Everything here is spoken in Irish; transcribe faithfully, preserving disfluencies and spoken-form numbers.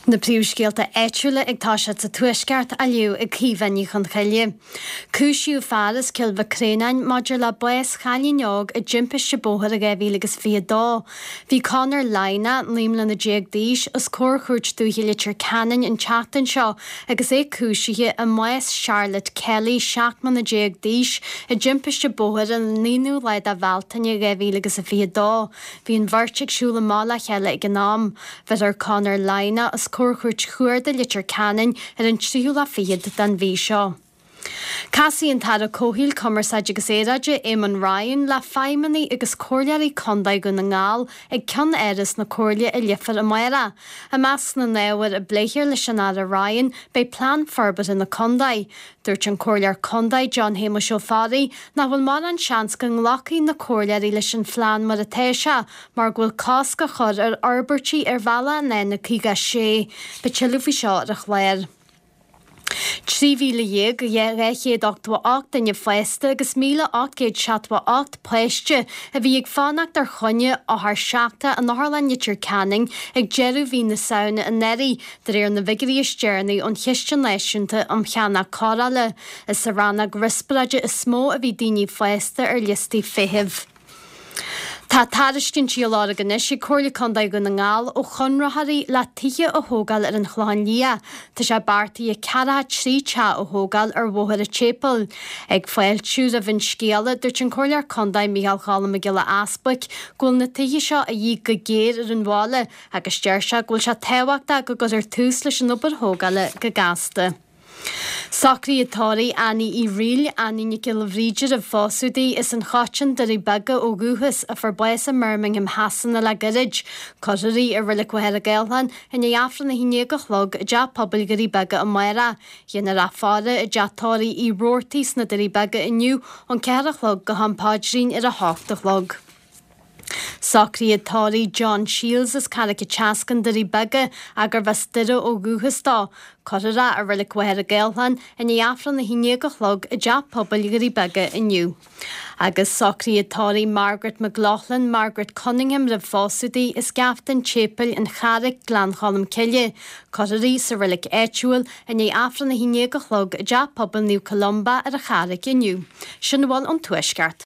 Na príomhscéalta áitiúla ag toiseacht sa Tuaisceart á léamh ag Caoimhe Ní Chonchoille. Cúisíodh fear as Cill Mhic Réanáin maidir le bás chailín óg i dtimpiste bóthair i dhá mhíle agus fiche a dó. Bhí Conor Lynagh, naoi mbliana déag d'aois, os comhair Chúirt Dúiche Leitir Ceanainn an tseachtain seo agus é cúisithe i mbás Charlotte Kelly, seacht mbliana déag d'aois, i dtimpiste bóthair an aonú lá de Bhealtaine dhá mhíle agus a fiche a dó. Bhí an bheirt ag siúl amach le chéile ag an am. Bheirfear Conor Lynagh os comhair Chúirt Chuarda Leitir Ceanainn ar an tríú lá fichead den mhí seo. Casfaidh an tAire Comhshaoil, Cumarsáide agus Aeráide, Eamon Ryan, le feidhmeannaigh agus comhairleoirí Contae Dhún na nGall ag ceann-áras na Comhairle i Leifear amárach. I measc na n-ábhar a bpléifear leis an Aire Ryan beidh Plean Forbartha na Contae. Dúirt an Comhairleoir Contae John Shéamuis Ó Fearraigh nach bhfuil mórán seans go nglacfaidh na comhairleoirí leis an phlean mar atá sé mar go bhfuil cosc á chur ar fhorbairtí ar bhealach an N caoga a sé. Beidh tuilleadh faoi seo ar an chlár. Trí mhíle dhéag dhá chéad ochtó a ocht duine fásta agus míle ocht gcéad seachtó a ocht páiste a bhí ag fanacht ar choinne othar seachtrach in Otharlann Leitir Ceanainn ag deireadh mhí na Samhna anuraidh, de réir na bhfigiúirí is deireanaí ón Chiste Náisiúnta um Cheannach Cóireála. Is sa rannóg riospráide is mó a bhí daoine fásta ar liostaí feithimh. Tá tairiscintí á lorg anois ag Comhairle Contae Dhún na nGall ó chonraitheoirí le tithe a thógáil ar an Chlochán Liath. Tá sé beartaithe ceathracha trí teach a thógáil ar Bhóthar an tSéipéil. Ag fáiltiú roimh an scéala, dúirt an Comhairleoir Contae Micheál Cholm Mac Giolla Easbuic go bhfuil na tithe seo a dhíth go géar ar an bhaile agus deir sé go bhfuil sé tábhachtach go gcuirfear tús leis an obair thógála go gasta. Socruithe tórraimh Annie Uí Fhrighil, Annie Nic Giolla Bhríde roimh phósadh di, as an Choiteann, Doirí Beaga ó dhúchas, a fuair bás i mBirmingham Shasana le gairid. Cuirfear í i Reilig Mhachaire Gathlán i ndiaidh Aifreann a haon déag a chlog i dTeach Pobail Dhoirí Beaga amárach. Déanfar í a fhaire i dTeach Tórraimh Uí Robhartaigh sna Doirí Beaga inniu ón ceathair a chlog go ham paidrín ar a hocht a chlog. Socruithe tórraimh John Shields as Carraig an tSeascainn, Doirí Beaga, gurbh as Doire ó dhúchas dó. Cuirfear é i Reilig Mhachaire Gathlán i ndiaidh Aifreann a haon déag a chlog i dTeach Pobail Dhoirí Beaga inniu. Agus socruithe tórraimh Margaret McLaughlin, Margaret Cunningham roimh phósadh di, as Geafta an tSéipéil, An Charraic, Gleann Cholm Cille. Cuirfear í sa reilig áitiúil i ndiaidh Aifreann a haon déag a chlog i dTeach Pobail Naomh Columba ar an Charraic inniu. Sin a bhfuil ón Tuaisceart.